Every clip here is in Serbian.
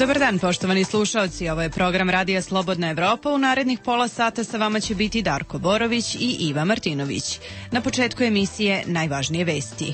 Dobar dan, poštovani slušaoci. Ovo je program Radija Slobodna Evropa. U narednih pola sata sa vama će biti Darko Borović i Iva Martinović. Na početku emisije najvažnije vesti.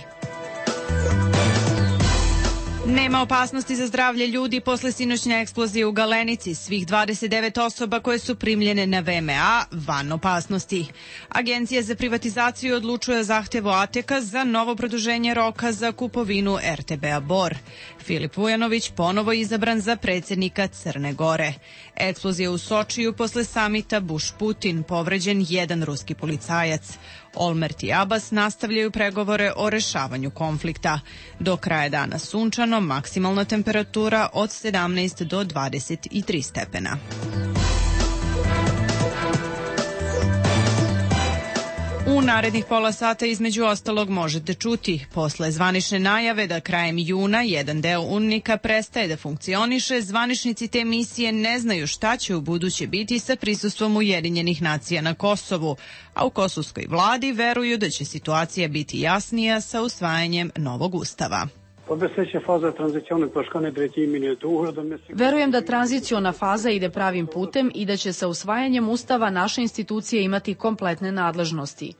Nema opasnosti za zdravlje ljudi posle sinoćne eksplozije u Galenici. Svih 29 osoba koje su primljene na VMA van opasnosti. Agencija za privatizaciju odlučuje o zahtjevu ATEK-a za novo produženje roka za kupovinu RTB-a Bor. Filip Vujanović ponovo izabran za predsjednika Crne Gore. Eksplozija u Sočiju posle samita Bush-Putin, povređen jedan ruski policajac. Olmert i Abbas nastavljaju pregovore o rešavanju konflikta. Do kraja dana sunčano, maksimalna temperatura od 17 do 23 stepena. U narednih pola sata između ostalog možete čuti posle zvanične najave da krajem juna jedan deo UNMIK-a prestaje da funkcioniše, zvaničnici te misije ne znaju šta će u buduće biti sa prisustvom Ujedinjenih nacija na Kosovu, a u kosovskoj vladi veruju da će situacija biti jasnija sa usvajanjem novog ustava. Verujem da tranziciona faza ide pravim putem i da će sa usvajanjem ustava naše institucije imati kompletne nadležnosti.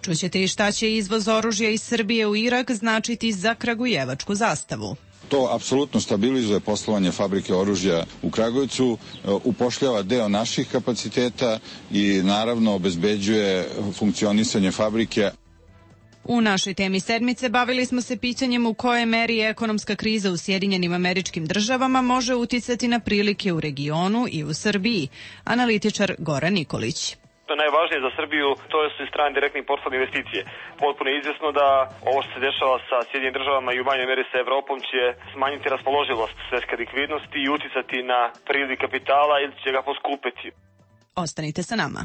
Čućete i šta će izvoz oružja iz Srbije u Irak značiti za kragujevačku zastavu. To apsolutno stabilizuje poslovanje fabrike oružja u Kragujevcu, upošljava deo naših kapaciteta i naravno obezbeđuje funkcionisanje fabrike. U našoj temi sedmice bavili smo se pitanjem u kojoj meri ekonomska kriza u Sjedinjenim Američkim Državama može uticati na prilike u regionu i u Srbiji. Analitičar Goran Nikolić. To je najvažnije za Srbiju, to su i strane direktne i portfolio investicije. Potpuno je izvjesno da ovo što se dešava sa Sjedinjenim Državama i u manjoj meri sa Evropom će smanjiti raspoloživost svetske likvidnosti i uticati na priliv kapitala ili će ga poskupiti. Ostanite sa nama.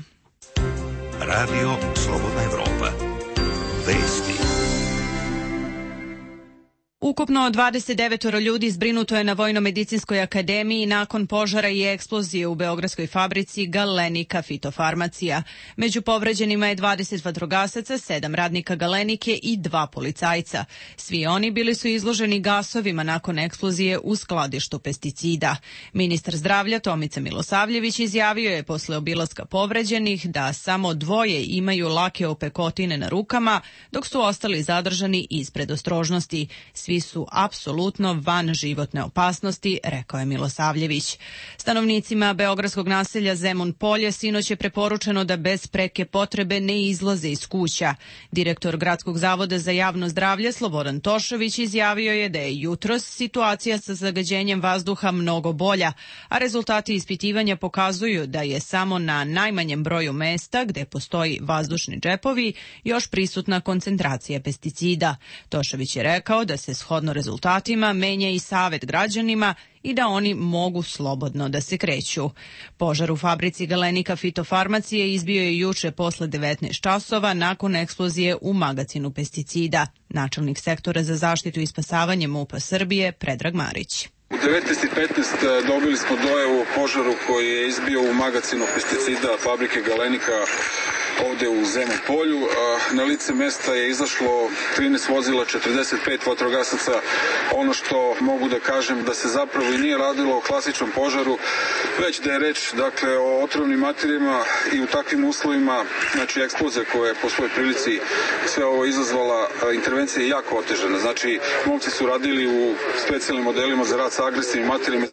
Radio Slobodna Evropa. Vesti. Ukupno 29 ljudi zbrinuto je na Vojno-medicinskoj akademiji nakon požara i eksplozije u beogradskoj fabrici Galenika Fitofarmacija. Među povređenima je 20 vatrogasaca, 7 radnika Galenike i 2 policajca. Svi oni bili su izloženi gasovima nakon eksplozije u skladištu pesticida. Ministar zdravlja Tomica Milosavljević izjavio je posle obilaska povređenih da samo 2 imaju lake opekotine na rukama, dok su ostali zadržani iz predostrožnosti. Svi su apsolutno van životne opasnosti, rekao je Milosavljević. Stanovnicima beogradskog naselja Zemun Polje sinoć je preporučeno da bez preke potrebe ne izlaze iz kuća. Direktor Gradskog zavoda za javno zdravlje Slobodan Tošović izjavio je da je jutros situacija sa zagađenjem vazduha mnogo bolja, a rezultati ispitivanja pokazuju da je samo na najmanjem broju mesta gde postoji vazdušni džepovi još prisutna koncentracija pesticida. Tošović je rekao da se shodno rezultatima menja i savet građanima i da oni mogu slobodno da se kreću. Požar u fabrici Galenika Fitofarmacije izbio je juče posle 19 časova nakon eksplozije u magacinu pesticida. Načelnik sektora za zaštitu i spasavanje MUP-a Srbije Predrag Marić. U 19:15 dobili smo dojavu o požaru koji je izbio u magacinu pesticida fabrike Galenika ovde u Zemun Polju. Na lice mesta je izašlo 13 vozila, 45 vatrogasaca. Ono što mogu da kažem da se zapravo i nije radilo o klasičnom požaru, već da je reč o otrovnim materijama i u takvim uslovima, znači eksplozija koja je po svojoj prilici sve ovo izazvala, intervencija je jako otežana. Znači, momci su radili u specijalnim modelima za rad sa agresivnim materijama.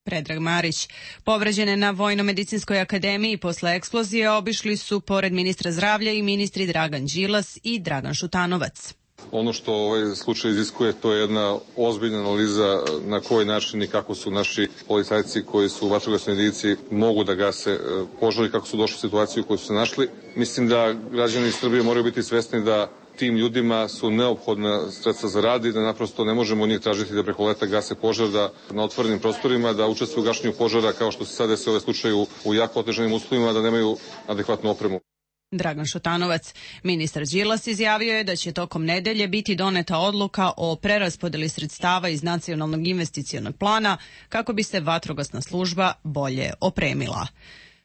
Predrag Marić. Povređene na Vojno-medicinskoj akademiji posle eksplozije obišli su pored ministra zdravlja i ministri Dragan Đilas i Dragan Šutanovac. Ono što ovaj slučaj iziskuje, to je jedna ozbiljna analiza na koji način i kako su naši policajci koji su u vatrogasnoj jedinici mogu da gase požari, kako su došli u situaciju u kojoj su se našli. Mislim da građani Srbije moraju biti svesni da tim ljudima su neophodna sredstva za rad i da naprosto ne možemo njih tražiti da preko leta gase požar, da na otvorenim prostorima, da učestvuju u gašenju požara kao što se sada desi ovaj slučaj u jako otežanim uslovima, da nemaju adekvatnu opremu. Dragan Šutanovac. Ministar Đilas izjavio je da će tokom nedelje biti doneta odluka o preraspodeli sredstava iz Nacionalnog investicionog plana kako bi se vatrogasna služba bolje opremila.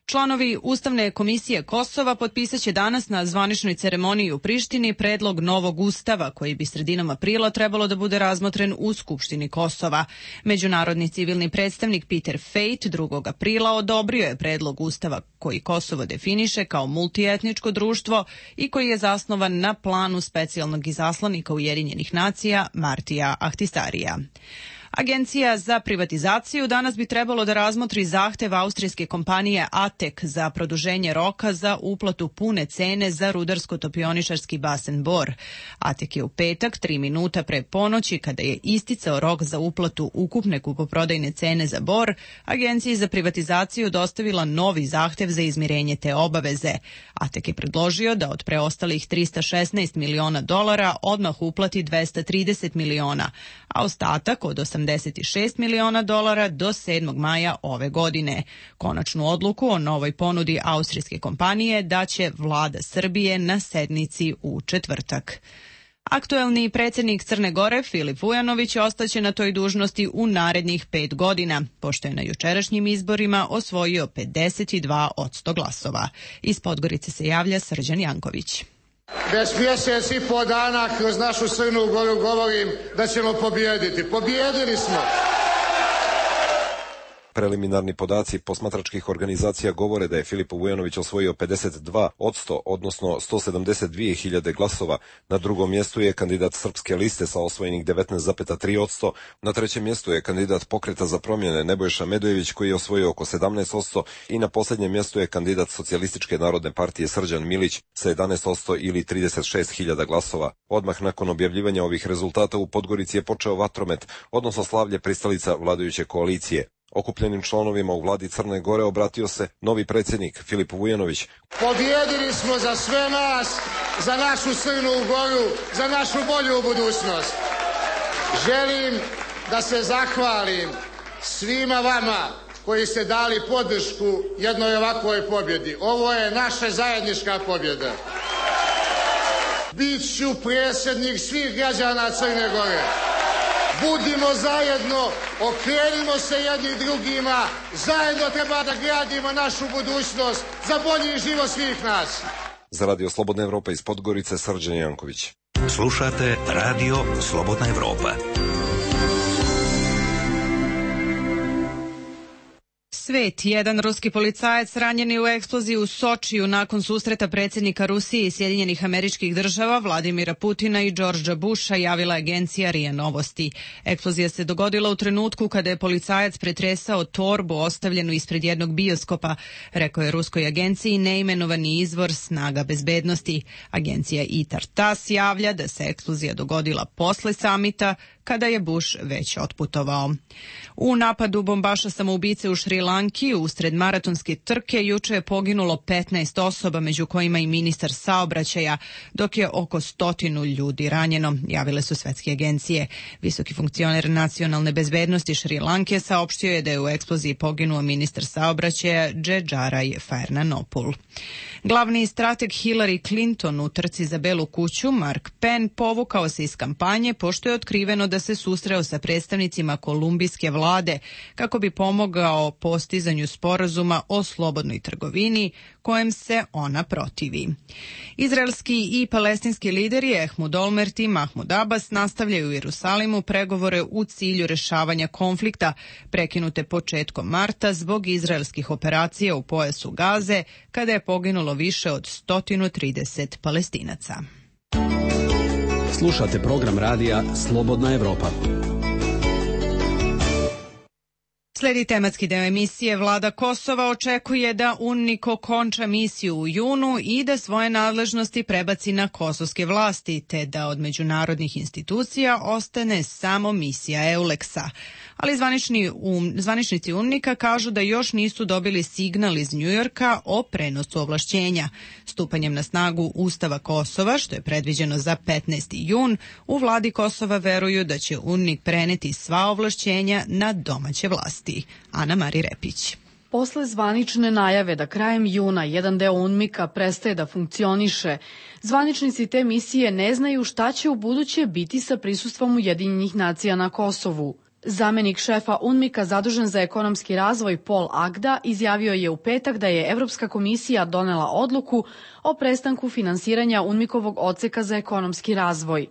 Članovi Ustavne komisije Kosova potpisaće danas na zvaničnoj ceremoniji u Prištini predlog novog ustava koji bi sredinom aprila trebalo da bude razmotren u Skupštini Kosova. Međunarodni civilni predstavnik Peter Fejt 2. aprila odobrio je predlog ustava koji Kosovo definiše kao multietničko društvo i koji je zasnovan na planu specijalnog izaslanika Ujedinjenih nacija Martija Ahtisarija. Agencija za privatizaciju danas bi trebalo da razmotri zahtev austrijske kompanije ATEK za produženje roka za uplatu pune cene za rudarsko-topioničarski basen Bor. ATEK je u petak, 3 minuta pre ponoći, kada je isticao rok za uplatu ukupne kupoprodajne cene za Bor, Agenciji za privatizaciju dostavila novi zahtev za izmirenje te obaveze. ATEK je predložio da od preostalih $316 miliona odmah uplati $230 miliona, a ostatak od $86 miliona do 7. maja ove godine. Konačnu odluku o novoj ponudi austrijske kompanije daće vlada Srbije na sednici u četvrtak. Aktuelni predsjednik Crne Gore, Filip Vujanović, ostaće na toj dužnosti u narednih 5 godina, pošto je na jučerašnjim izborima osvojio 52% glasova. Iz Podgorice se javlja Srđan Janković. Već mjesec i po dana kroz našu Crnu Goru govorim da ćemo pobijediti. Pobijedili smo! Preliminarni podaci posmatračkih organizacija govore da je Filip Vujanović osvojio 52%, odnosno 172.000 glasova. Na drugom mjestu je kandidat Srpske liste sa osvojenih 19,3%. Na trećem mjestu je kandidat Pokreta za promjene Nebojša Medojević koji je osvojio oko 17% i na posljednjem mjestu je kandidat Socijalističke narodne partije Srđan Milić sa 11% ili 36.000 glasova. Odmah nakon objavljivanja ovih rezultata u Podgorici je počeo vatromet, odnosno slavlje pristalica vladajuće koalicije. Okupljenim članovima u vladi Crne Gore obratio se novi predsjednik Filip Vujanović. Pobjedili smo za sve nas, za našu Crnu Goru, za našu bolju budućnost. Želim da se zahvalim svima vama koji ste dali podršku jednoj ovakvoj pobjedi. Ovo je naša zajednička pobjeda. Biću predsjednik svih građana Crne Gore. Budimo zajedno, okrenimo se jedni drugima, zajedno treba da gradimo našu budućnost za bolji život svih nas. Za Radio Slobodna Evropa iz Podgorice, Srđan Janković. Slušate Radio Slobodna Evropa. Svet, jedan ruski policajac ranjen je u eksploziji u Sočiju nakon susreta predsjednika Rusije i Sjedinjenih Američkih Država Vladimira Putina i Đorđa Busha, javila agencija RIA Novosti. Eksplozija se dogodila u trenutku kada je policajac pretresao torbu ostavljenu ispred jednog bioskopa, rekao je ruskoj agenciji neimenovani izvor snaga bezbednosti. Agencija ITAR-TASS javlja da se eksplozija dogodila posle samita, kada je Bush već otputovao. U napadu bombaša samoubice u Šri Lanki usred maratonske trke juče je poginulo 15 osoba, među kojima i ministar saobraćaja, dok je oko 100 ljudi ranjeno, javile su svetske agencije. Visoki funkcioner nacionalne bezbednosti Šri Lanke saopštio je da je u eksploziji poginuo ministar saobraćaja Džedžaraj Fernanopul. Glavni strateg Hillary Clinton u trci za Belu kuću, Mark Penn, povukao se iz kampanje pošto je otkriveno da se susreo sa predstavnicima kolumbijske vlade kako bi pomogao postizanju sporazuma o slobodnoj trgovini kojem se ona protivi. Izraelski i palestinski lideri Ehud Olmert i Mahmud Abbas nastavljaju u Jerusalimu pregovore u cilju rešavanja konflikta prekinute početkom marta zbog izraelskih operacija u pojasu Gaze, kada je poginulo više od 130 Palestinaca. Slušate program radija Slobodna Evropa. Sledi tematski deo emisije. Vlada Kosova očekuje da UNMIK okonča misiju u junu i da svoje nadležnosti prebaci na kosovske vlasti, te da od međunarodnih institucija ostane samo misija EULEX-a. Ali zvaničnici UNMIK-a kažu da još nisu dobili signal iz Njujorka o prenosu ovlašćenja. Stupanjem na snagu Ustava Kosova, što je predviđeno za 15. jun, u vladi Kosova veruju da će UNMIK preneti sva ovlašćenja na domaće vlasti. Ana Mari Repić. Posle zvanične najave da krajem juna jedan deo UNMIK-a prestaje da funkcioniše, zvaničnici te misije ne znaju šta će u buduće biti sa prisustvom Ujedinjenih nacija na Kosovu. Zamenik šefa UNMIK-a zadužen za ekonomski razvoj Paul Agda izjavio je u petak da je Evropska komisija donela odluku o prestanku finansiranja UNMIK-ovog odseka za ekonomski razvoj.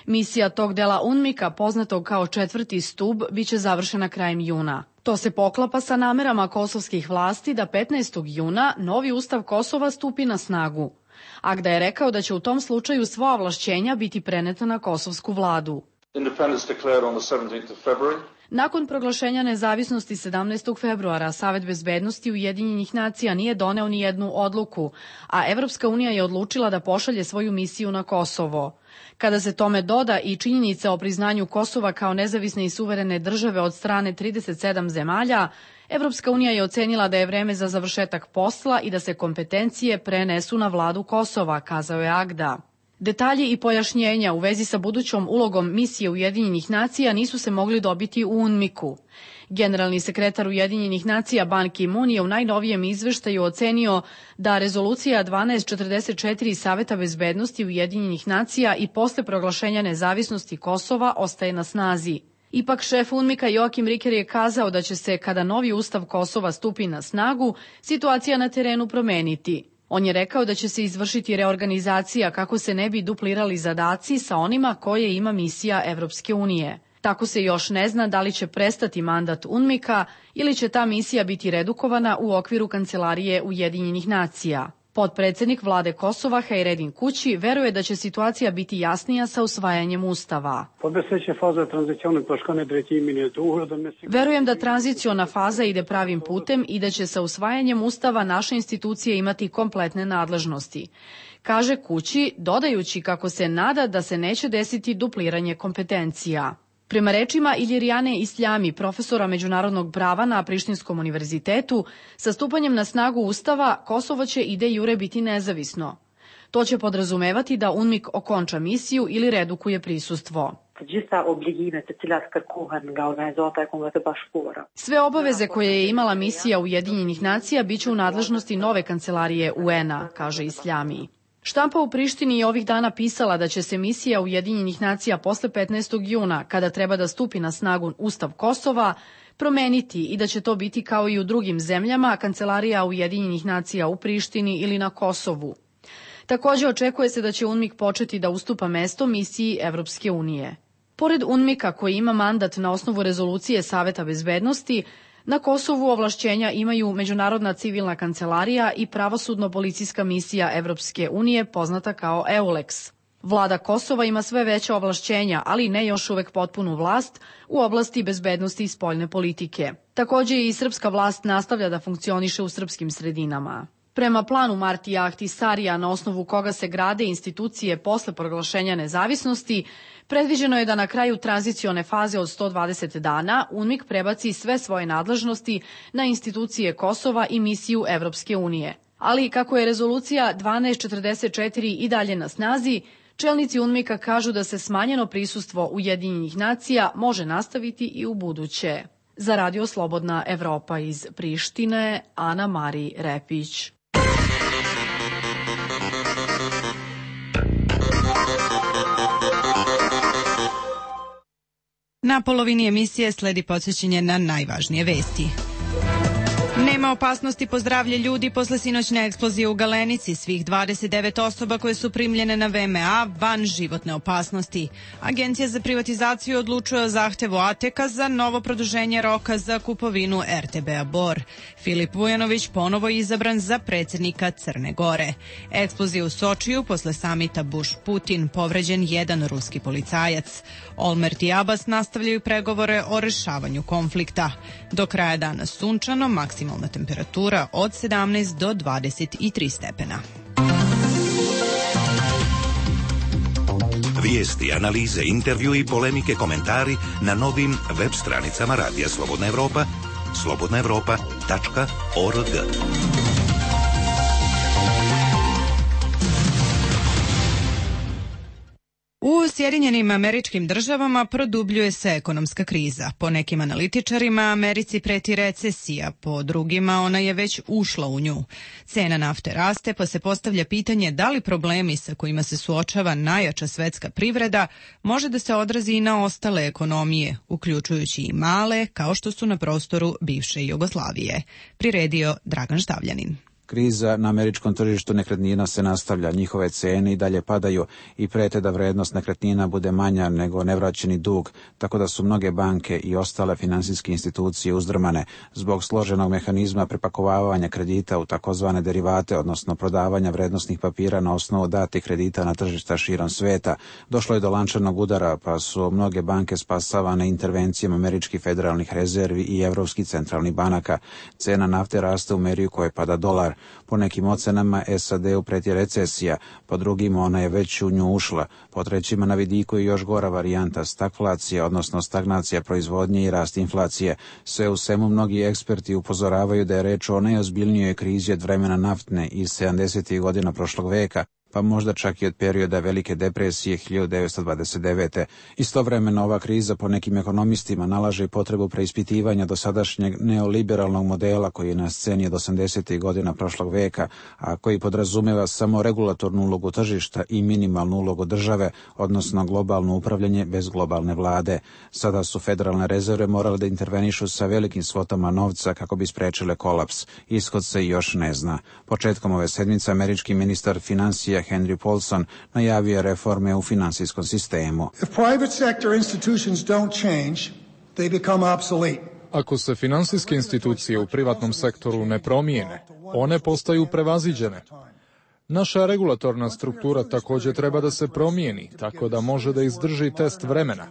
Misija tog dela UNMIK-a, poznatog kao 4. stub, biće završena krajem juna. To se poklapa sa namerama kosovskih vlasti da 15. juna novi ustav Kosova stupi na snagu. Agda je rekao da će u tom slučaju sva ovlašćenja biti preneta na kosovsku vladu. Nakon proglašenja nezavisnosti 17. februara, Savet bezbednosti Ujedinjenih nacija nije doneo ni jednu odluku, a Evropska unija je odlučila da pošalje svoju misiju na Kosovo. Kada se tome doda i činjenica o priznanju Kosova kao nezavisne i suverene države od strane 37 zemalja, Evropska unija je ocenila da je vreme za završetak posla i da se kompetencije prenesu na vladu Kosova, kazao je Agda. Detalji i pojašnjenja u vezi sa budućom ulogom misije Ujedinjenih nacija nisu se mogli dobiti u UNMIK-u. Generalni sekretar Ujedinjenih nacija Ban Ki-moon je u najnovijem izveštaju ocenio da rezolucija 1244 Saveta bezbednosti Ujedinjenih nacija i posle proglašenja nezavisnosti Kosova ostaje na snazi. Ipak šef UNMIK-a Joakim Riker je kazao da će se, kada novi ustav Kosova stupi na snagu, situacija na terenu promeniti. On je rekao da će se izvršiti reorganizacija kako se ne bi duplirali zadaci sa onima koje ima misija Evropske unije. Tako se još ne zna da li će prestati mandat UNMIK-a ili će ta misija biti redukovana u okviru Kancelarije Ujedinjenih nacija. Potpredsednik vlade Kosova Hajredin Kući veruje da će situacija biti jasnija sa usvajanjem ustava. Verujem da tranziciona faza ide pravim putem i da će sa usvajanjem ustava naše institucije imati kompletne nadležnosti, kaže Kući, dodajući kako se nada da se neće desiti dupliranje kompetencija. Prema rečima Iljirijane Isljami, profesora međunarodnog prava na Prištinskom univerzitetu, sa stupanjem na snagu ustava Kosovo će i de jure biti nezavisno. To će podrazumevati da UNMIK okonča misiju ili redukuje prisustvo. Sve obaveze koje je imala misija Ujedinjenih nacija biće u nadležnosti nove kancelarije UN-a, kaže Isljami. Štampa u Prištini je ovih dana pisala da će se misija Ujedinjenih nacija posle 15. juna, kada treba da stupi na snagu Ustav Kosova, promeniti i da će to biti kao i u drugim zemljama, kancelarija Ujedinjenih nacija u Prištini ili na Kosovu. Takođe očekuje se da će UNMIK početi da ustupa mesto misiji Evropske unije. Pored UNMIK-a koji ima mandat na osnovu rezolucije Saveta bezbednosti, na Kosovu ovlašćenja imaju Međunarodna civilna kancelarija i pravosudno-policijska misija Evropske unije, poznata kao EULEX. Vlada Kosova ima sve veća ovlašćenja, ali ne još uvek potpunu vlast u oblasti bezbednosti i spoljne politike. Takođe i srpska vlast nastavlja da funkcioniše u srpskim sredinama. Prema planu Martija Ahtisarija, na osnovu koga se grade institucije posle proglašenja nezavisnosti, predviđeno je da na kraju tranzicione faze od 120 dana UNMIK prebaci sve svoje nadležnosti na institucije Kosova i misiju Evropske unije. Ali kako je rezolucija 1244 i dalje na snazi, čelnici UNMIK-a kažu da se smanjeno prisustvo Ujedinjenih nacija može nastaviti i u buduće. Za Radio Slobodna Evropa iz Prištine, Ana Mari Repić. Na polovini emisije sledi podsjećanje na najvažnije vesti. Nema opasnosti po zdravlje ljudi posle sinoćne eksplozije u Galenici. Svih 29 osoba koje su primljene na VMA van životne opasnosti. Agencija za privatizaciju odlučuje o zahtevu ATEK-a za novo produženje roka za kupovinu RTB-a Bor. Filip Vujanović ponovo izabran za predsjednika Crne Gore. Eksplozija u Sočiju posle samita Bush-Putin, povređen jedan ruski policajac. Olmert i Abbas nastavljaju pregovore o rešavanju konflikta. Do kraja dana sunčano, maksimalna temperatura od 17 do 23 stepena. Vijesti, analize, intervju i polemike, komentari na novim web stranicama Radija Slobodna Evropa, slobodnaevropa.org. U Sjedinjenim Američkim Državama produbljuje se ekonomska kriza. Po nekim analitičarima Americi preti recesija, po drugima ona je već ušla u nju. Cena nafte raste, pa se postavlja pitanje da li problemi sa kojima se suočava najjača svetska privreda može da se odrazi i na ostale ekonomije, uključujući i male, kao što su na prostoru bivše Jugoslavije. Priredio Dragan Štavljanin. Kriza na američkom tržištu nekretnina se nastavlja, njihove cene i dalje padaju i prete da vrednost nekretnina bude manja nego nevraćeni dug, tako da su mnoge banke i ostale finansijske institucije uzdrmane zbog složenog mehanizma prepakovavanja kredita u takozvane derivate, odnosno prodavanja vrednosnih papira na osnovu datih kredita na tržišta širom sveta. Došlo je do lančanog udara, pa su mnoge banke spasavane intervencijama američkih federalnih rezervi i evropskih centralnih banaka. Cena nafte raste u meri u kojoj pada dolar. Po nekim ocenama SAD-u preti recesija, po drugim ona je već u nju ušla. Po trećima na vidiku je još gora varijanta stagflacija, odnosno stagnacija proizvodnje i rast inflacije. Sve u svemu mnogi eksperti upozoravaju da je reč o najozbiljnijoj krizi od vremena naftne iz 70. godina prošlog veka, pa možda čak i od perioda Velike depresije 1929. Istovremeno ova kriza po nekim ekonomistima nalaže potrebu preispitivanja dosadašnjeg neoliberalnog modela koji je na sceni od 80. godina prošlog veka, a koji podrazumeva samo regulatornu ulogu tržišta i minimalnu ulogu države, odnosno globalno upravljanje bez globalne vlade. Sada su federalne rezerve morale da intervenišu sa velikim svotama novca kako bi sprečile kolaps. Ishod se još ne zna. Početkom ove sedmice američki ministar financija Henry Paulson najavio reforme u finansijskom sistemu. Ako se finansijske institucije u privatnom sektoru ne promijene, one postaju prevaziđene. Naša regulatorna struktura također treba da se promijeni, tako da može da izdrži test vremena.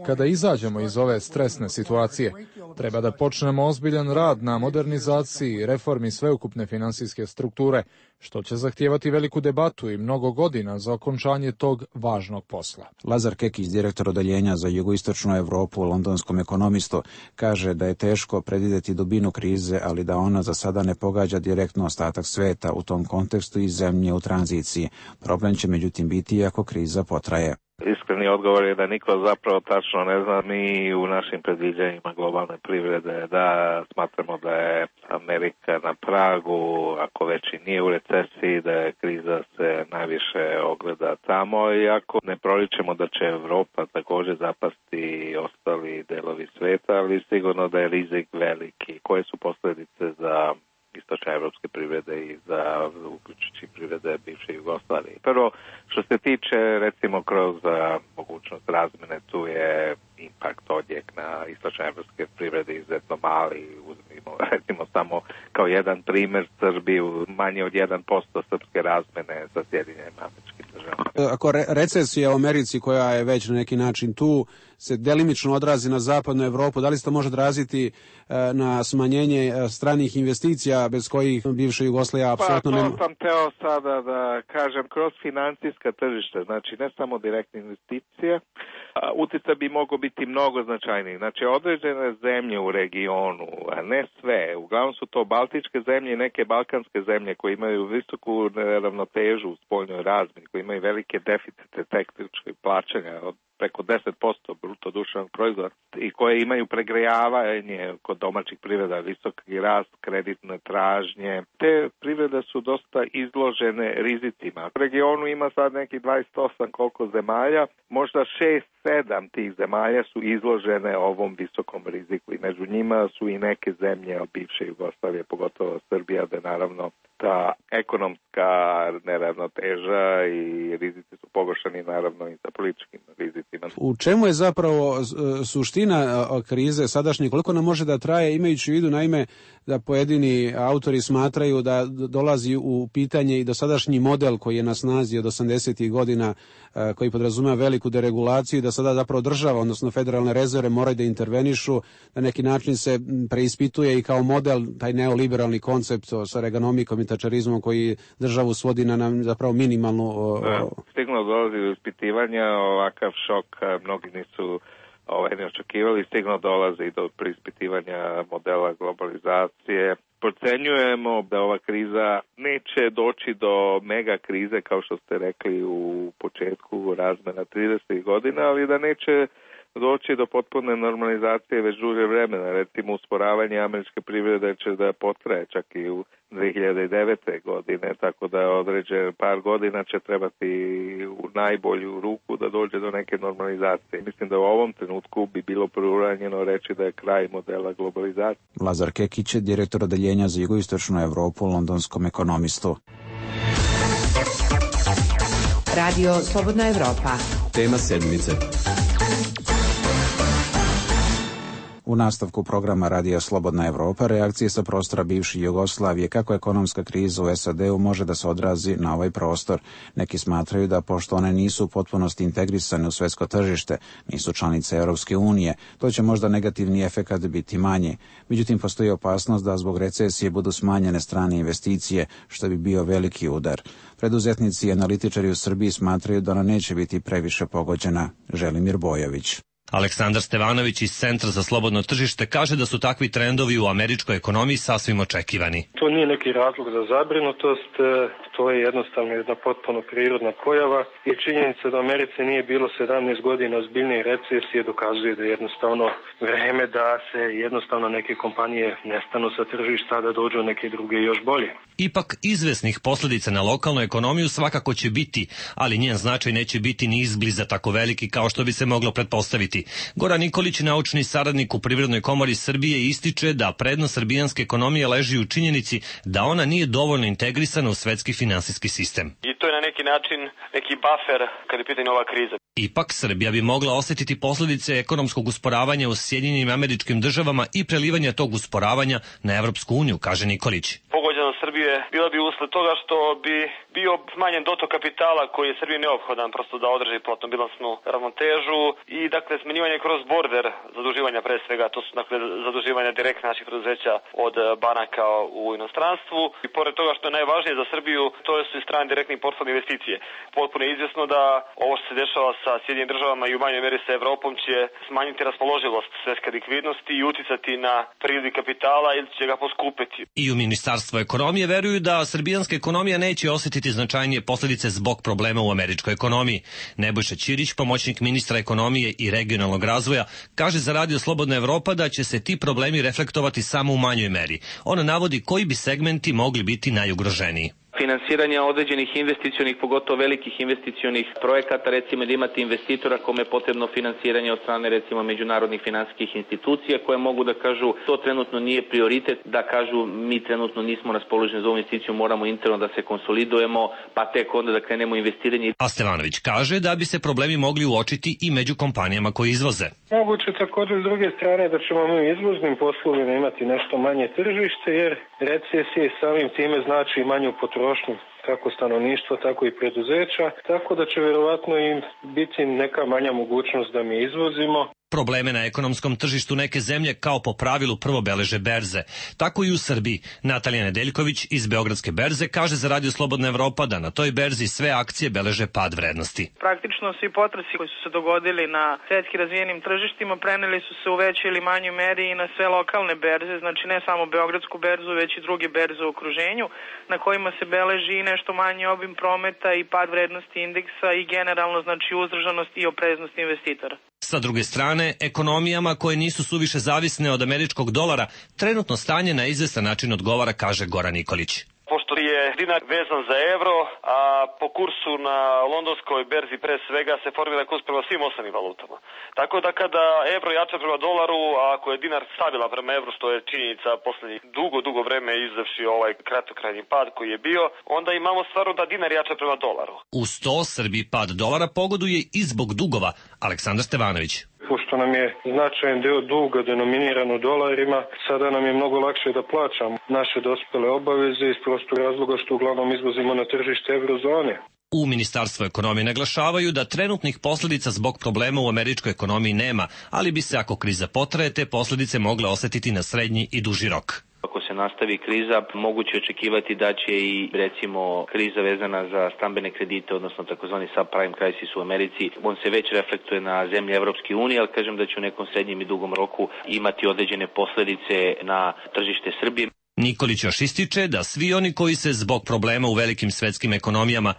Kada izađemo iz ove stresne situacije, treba da počnemo ozbiljan rad na modernizaciji i reformi sveukupne finansijske strukture, što će zahtijevati veliku debatu i mnogo godina za okončanje tog važnog posla. Lazar Kekić, direktor odeljenja za jugoistočnu Evropu u Londonskom ekonomistu, kaže da je teško predvidjeti dubinu krize, ali da ona za sada ne pogađa direktno ostatak sveta, u tom kontekstu i zemlje u tranziciji. Problem će međutim biti ako kriza potraje. Iskreni odgovor je da niko zapravo tačno ne zna. Mi u našim predviđanjima globalne privrede da smatramo da je Amerika na pragu, ako već i nije u recesiji, da je kriza se najviše ogleda tamo, i ako ne proličemo da će Evropa također zapasti i ostali delovi sveta, ali sigurno da je rizik veliki. Koje su posljedice za istočne evropske privrede i za uključujući privrede bivše Jugoslavije. Prvo, što se tiče recimo kroz mogućnost razmene, tu je impakt odjek na istočne evropske privrede izuzetno mali. Uzmimo recimo samo kao jedan primjer Srbiju, manje od 1% srpske razmene sa Sjedinjenim Američkim Državama. Ako recesija u Americi, koja je već na neki način tu, se delimično odrazi na zapadnu Evropu, da li se to može odraziti na smanjenje stranih investicija bez kojih bivša Jugoslavija apsolutno nema? Pa to sam teo sada da kažem, kroz financijska tržišta, znači ne samo direktne investicije, utjecaj bi mogao biti mnogo značajniji. Znači određene zemlje u regionu, a ne sve, uglavnom su to baltičke zemlje i neke balkanske zemlje koje imaju visoku neravnotežu u spoljnoj razmjeni, koje imaju velike deficite tehničkih plaćanja od preko 10% bruto društvenog proizvoda i koje imaju pregrejavanje kod domaćih privreda, visoki rast kreditne tražnje. Te privrede su dosta izložene rizicima. U regionu ima sad nekih 28 koliko zemalja, možda 6-7 tih zemalja su izložene ovom visokom riziku i među njima su i neke zemlje od bivše Jugoslavije, pogotovo Srbija, da naravno ta ekonomska neravnoteža i rizici su pogoršani naravno i sa političkim rizicima. U čemu je zapravo suština krize sadašnje? Koliko nam može da traje, imajući u vidu naime da pojedini autori smatraju da dolazi u pitanje i dosadašnji model koji je na snazi od 80. godina, koji podrazumeva veliku deregulaciju, da sada zapravo država, odnosno federalne rezerve moraju da intervenišu, na neki način se preispituje i kao model taj neoliberalni koncept sa reganomikom i tačerizmom koji državu svodi na zapravo minimalnu... Stiglo dolazi do ispitivanja, ovakav šok mnogi nisu neočekivali, stigno dolazi do preispitivanja modela globalizacije. Procenjujemo da ova kriza neće doći do mega krize, kao što ste rekli u početku razmena 30. godina, ali da neće doći do potpune normalizacije već duže vremena. Recimo, usporavanje američke privrede će da potraje čak i u 2009. godine, tako da određen par godina će trebati u najbolju ruku da dođe do neke normalizacije. Mislim da u ovom trenutku bi bilo preuranjeno reći da je kraj modela globalizacije. Lazar Kekić je direktor odeljenja za jugoistočnu Evropu u Londonskom Ekonomistu. Radio Slobodna Evropa. Tema sedmice. U nastavku programa Radija Slobodna Evropa reakcije sa prostora bivše Jugoslavije kako ekonomska kriza u SAD-u može da se odrazi na ovaj prostor. Neki smatraju da pošto one nisu u potpunosti integrisane u svetsko tržište, nisu članice Europske unije, to će možda negativni efekat biti manji. Međutim, postoji opasnost da zbog recesije budu smanjene strane investicije, što bi bio veliki udar. Preduzetnici i analitičari u Srbiji smatraju da ona neće biti previše pogođena. Želimir Bojović. Aleksandar Stevanović iz Centra za slobodno tržište kaže da su takvi trendovi u američkoj ekonomiji sasvim očekivani. To nije neki razlog za zabrinutost, to je jednostavno jedna potpuno prirodna pojava i činjenica da u Americi nije bilo 17 godina ozbiljnije recesije dokazuje da je jednostavno vreme da se jednostavno neke kompanije nestanu sa tržišta, da dođu neke druge još bolje. Ipak izvesnih posljedica na lokalnu ekonomiju svakako će biti, ali njen značaj neće biti ni izbliza tako veliki kao što bi se moglo pretpostaviti. Goran Nikolić, naučni saradnik u Privrednoj komori Srbije, ističe da prednost srbijanske ekonomije leži u činjenici da ona nije dovoljno integrisana u svetski finansijski sistem. I to je na neki način neki buffer kad je pitanje ova kriza. Ipak, Srbija bi mogla osjetiti posljedice ekonomskog usporavanja u Sjedinjenim Američkim Državama i prelivanja tog usporavanja na Evropsku uniju, kaže Nikolić. Pogođenost Srbije bila bi usled toga što bi bio smanjen dotok kapitala koji je Srbiji neophodan prosto da održi platno-bilansnu ravnotežu i dakle smanjivanje kroz border zaduživanja pre svega, to su dakle zaduživanja direktne naših preduzeća od banaka u inostranstvu i pored toga što je najvažnije za Srbiju, to su i strane direktne portfolio investicije. Potpuno je izvjesno da ovo što se dešava sa Sjedinjenim Državama i u manjoj meri sa Evropom će smanjiti raspoloživost svetske likvidnosti i uticati na priliv kapitala ili će ga poskupiti. I u Ministarstvu ekonomije veruju da srbijanska ekonomija neće osjetiti značajnije posljedice zbog problema u američkoj ekonomiji. Nebojša Ćirić, pomoćnik ministra ekonomije i regionalnog razvoja, kaže za Radio Slobodna Evropa da će se ti problemi reflektovati samo u manjoj meri. Ona navodi koji bi segmenti mogli biti najugroženiji. Finansiranja određenih investicionih, pogotovo velikih investicionih projekata, recimo da imate investitora kome je potrebno finansiranje od strane recimo međunarodnih finansijskih institucija koje mogu da kažu to trenutno nije prioritet, da kažu mi trenutno nismo raspoloženi za ovu investiciju, moramo interno da se konsolidujemo, pa tek onda da krenemo investiranje. A Stevanović kaže da bi se problemi mogli uočiti i među kompanijama koje izvoze. Moguće također s druge strane da ćemo mi u izvoznim poslovima imati nešto manje tržište jer recesije samim time znači manju potrošnju kako stanovništva, tako i preduzeća, tako da će vjerovatno im biti neka manja mogućnost da mi izvozimo. Probleme na ekonomskom tržištu neke zemlje kao po pravilu prvo beleže berze. Tako i u Srbiji. Natalija Nedeljković iz Beogradske berze kaže za Radio Slobodna Evropa da na toj berzi sve akcije beleže pad vrednosti. Praktično svi potresi koji su se dogodili na svetski razvijenim tržištima preneli su se u većoj ili manjoj meri i na sve lokalne berze, znači ne samo Beogradsku berzu, već i druge berze u okruženju, na kojima se beleži i nešto manji obim prometa i pad vrednosti indeksa i generalno znači uzdržanost i opreznost investitora. Sa druge strane, ekonomijama koje nisu suviše zavisne od američkog dolara, trenutno stanje na izvestan način odgovara, kaže Goran Nikolić. Pošto je dinar vezan za evro, a po kursu na londonskoj berzi pre svega se formira kurs prema svim ostalim valutama. Tako da kada evro jača prema dolaru, a ako je dinar stabilan prema evru, što je činjenica poslednjih dugo vreme izvevši ovaj kratkokrajni pad koji je bio, onda imamo stvarno da dinar jača prema dolaru. Uz to Srbiji pad dolara pogoduje i zbog dugova. Aleksandar Stevanović. Pošto nam je značajan deo duga denominiran u dolarima, sada nam je mnogo lakše da plaćamo naše dospele obaveze iz prostog razloga što uglavnom izvozimo na tržište eurozone. U Ministarstvu ekonomije naglašavaju da trenutnih posljedica zbog problema u američkoj ekonomiji nema, ali bi se ako kriza potraje te posljedice mogle osetiti na srednji i duži rok. Ako se nastavi kriza, moguće očekivati da će i recimo kriza vezana za stambene kredite, odnosno takozvani subprime crisis u Americi, on se već reflektuje na zemlje Evropske unije, ali kažem da će u nekom srednjem i dugom roku imati određene posledice na tržište Srbije. Nikolić još ističe da svi oni koji se zbog problema u velikim svetskim ekonomijama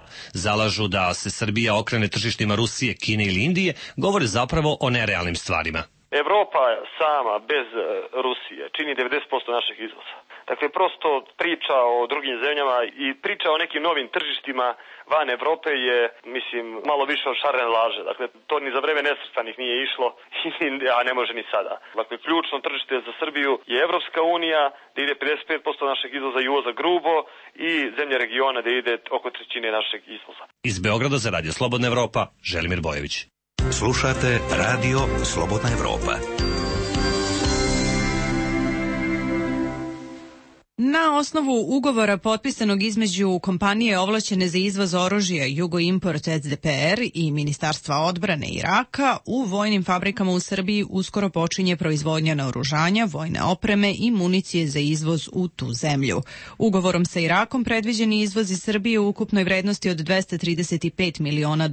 zalažu da se Srbija okrene tržištima Rusije, Kine ili Indije, govore zapravo o nerealnim stvarima. Evropa sama bez Rusije čini 90% našeg izvoza. Dakle, prosto priča o drugim zemljama i priča o nekim novim tržištima van Evrope je, mislim, malo više od šarene laže. Dakle, to ni za vreme nesvrstanih nije išlo, a ne može ni sada. Dakle, ključno tržište za Srbiju je Evropska unija, da ide 55% našeg izvoza i uvoza grubo, i zemlje regiona da ide oko trećine našeg izvoza. Iz Beograda za Radio Slobodna Evropa, Želimir Bojević. Slušate Radio Slobodna Evropa. Na osnovu ugovora potpisanog između kompanije ovlašćene za izvoz oružja Jugoimport SDPR i Ministarstva odbrane Iraka, u vojnim fabrikama u Srbiji uskoro počinje proizvodnja naoružanja, vojne opreme i municije za izvoz u tu zemlju. Ugovorom sa Irakom predviđen je izvoz iz Srbije u ukupnoj vrednosti od $235 miliona,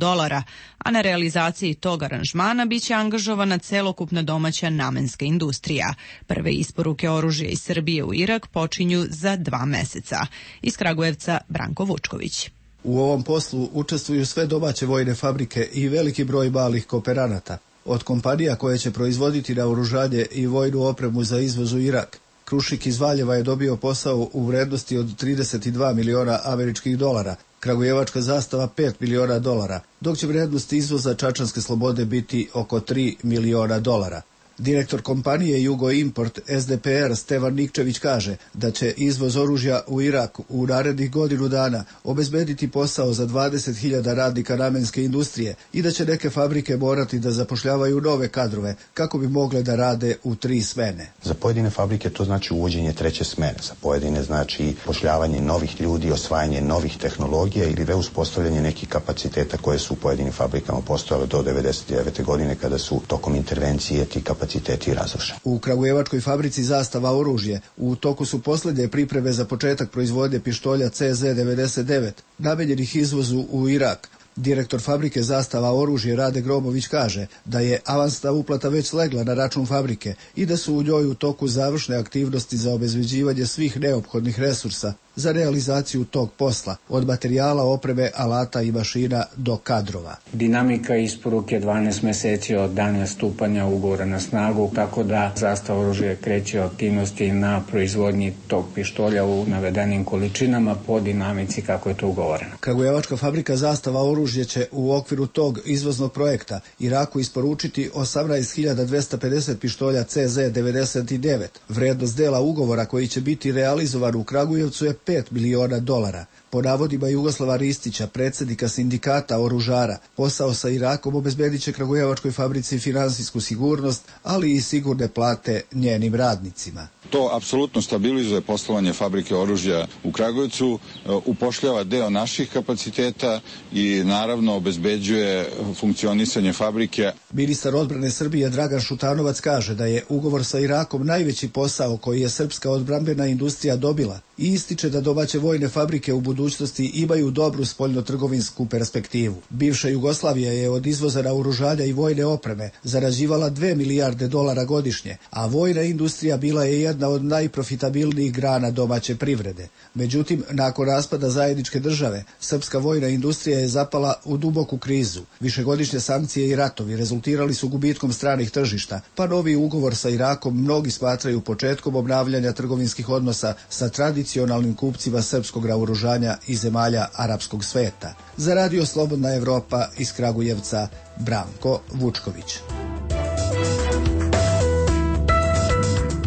a na realizaciji tog aranžmana biće angažovana celokupna domaća namenska industrija. Prve isporuke oružja iz Srbije u Irak počinju za 2 meseca. Iz Kragujevca Branko Vučković. U ovom poslu učestvuju sve domaće vojne fabrike i veliki broj malih kooperanata. Od kompanija koje će proizvoditi naoružanje i vojnu opremu za izvoz u Irak, Krušik iz Valjeva je dobio posao u vrednosti od $32 miliona, Kragujevačka zastava $5 miliona, dok će vrednost izvoza Čačanske Slobode biti oko $3 miliona. Direktor kompanije Jugoimport SDPR Stevan Nikčević kaže da će izvoz oružja u Irak u narednih godinu dana obezbediti posao za 20.000 radnika namenske industrije i da će neke fabrike morati da zapošljavaju nove kadrove kako bi mogle da rade u 3 smene. Za pojedine fabrike to znači uvođenje 3. smene, za pojedine znači pošljavanje novih ljudi, osvajanje novih tehnologija ili reuspostavljanje nekih kapaciteta koje su u pojedinim fabrikama postojale do 1999. godine kada su tokom intervencije ti kapaciteti razrušeni. U Kragujevačkoj fabrici Zastava oružje u toku su posljednje pripreme za početak proizvodnje pištolja CZ-99 namenjenih izvozu u Irak. Direktor fabrike Zastava oružje Rade Gromović kaže da je avansna uplata već slegla na račun fabrike i da su u njoj u toku završne aktivnosti za obezbeđivanje svih neophodnih resursa za realizaciju tog posla, od materijala, opreme, alata i mašina do kadrova. Dinamika isporuke 12 meseci od dana stupanja ugovora na snagu, tako da Zastava oružje kreće aktivnosti na proizvodnji tog pištolja u navedenim količinama po dinamici kako je to ugovoreno. Kragujevačka fabrika Zastava oružje će u okviru tog izvoznog projekta Iraku isporučiti 18.250 pištolja CZ-99. Vrednost dela ugovora koji će biti realizovan u Kragujevcu je $5 miliona. Po navodima Jugoslava Ristića, predsjednika sindikata oružara, posao sa Irakom obezbedit će Kragujevačkoj fabrici finansijsku sigurnost, ali i sigurne plate njenim radnicima. To apsolutno stabilizuje poslovanje fabrike oružja u Kragujevcu, upošljava deo naših kapaciteta i naravno obezbeđuje funkcionisanje fabrike. Ministar odbrane Srbije Dragan Šutanovac kaže da je ugovor sa Irakom najveći posao koji je srpska odbrambena industrija dobila i ističe da domaće vojne fabrike u budućnosti imaju dobru spoljnotrgovinsku perspektivu. Bivša Jugoslavija je od izvoza naoružanja i vojne opreme zarađivala $2 milijarde godišnje, a vojna industrija bila je jedna od najprofitabilnijih grana domaće privrede. Međutim, nakon raspada zajedničke države, srpska vojna industrija je zapala u duboku krizu. Višegodišnje sankcije i ratovi rezultirali su gubitkom stranih tržišta, pa novi ugovor sa Irakom mnogi smatraju početkom obnavljanja trgovinskih odnosa sa tradicionalnim kupcima srpskog naoružanja i zemalja arapskog sveta. Za Radio Slobodna Evropa iz Kragujevca, Branko Vučković.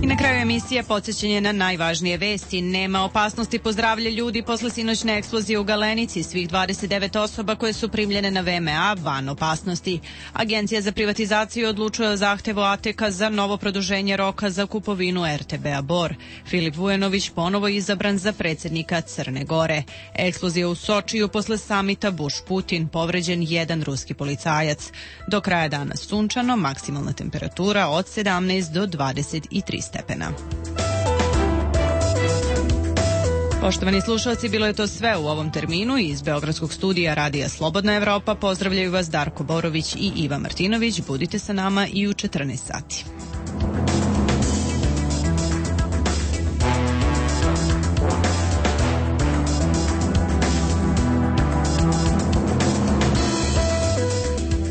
I na kraju emisije podsjećanje na najvažnije vesti. Nema opasnosti po zdravlje ljudi posle sinoćne eksplozije u Galenici. Svih 29 osoba koje su primljene na VMA van opasnosti. Agencija za privatizaciju odlučuje o zahtevu ATK za novo produženje roka za kupovinu RTB-a Bor. Filip Vujanović ponovo izabran za predsjednika Crne Gore. Eksplozija u Sočiju posle samita Bush-Putin. Povređen 1 ruski policajac. Do kraja dana sunčano, maksimalna temperatura od 17 do 23 stepena. Poštovani slušalci, bilo je to sve u ovom terminu. Iz Beogradskog studija Radija Slobodna Evropa pozdravljaju vas Darko Borović i Iva Martinović. Budite sa nama i u 14 sati.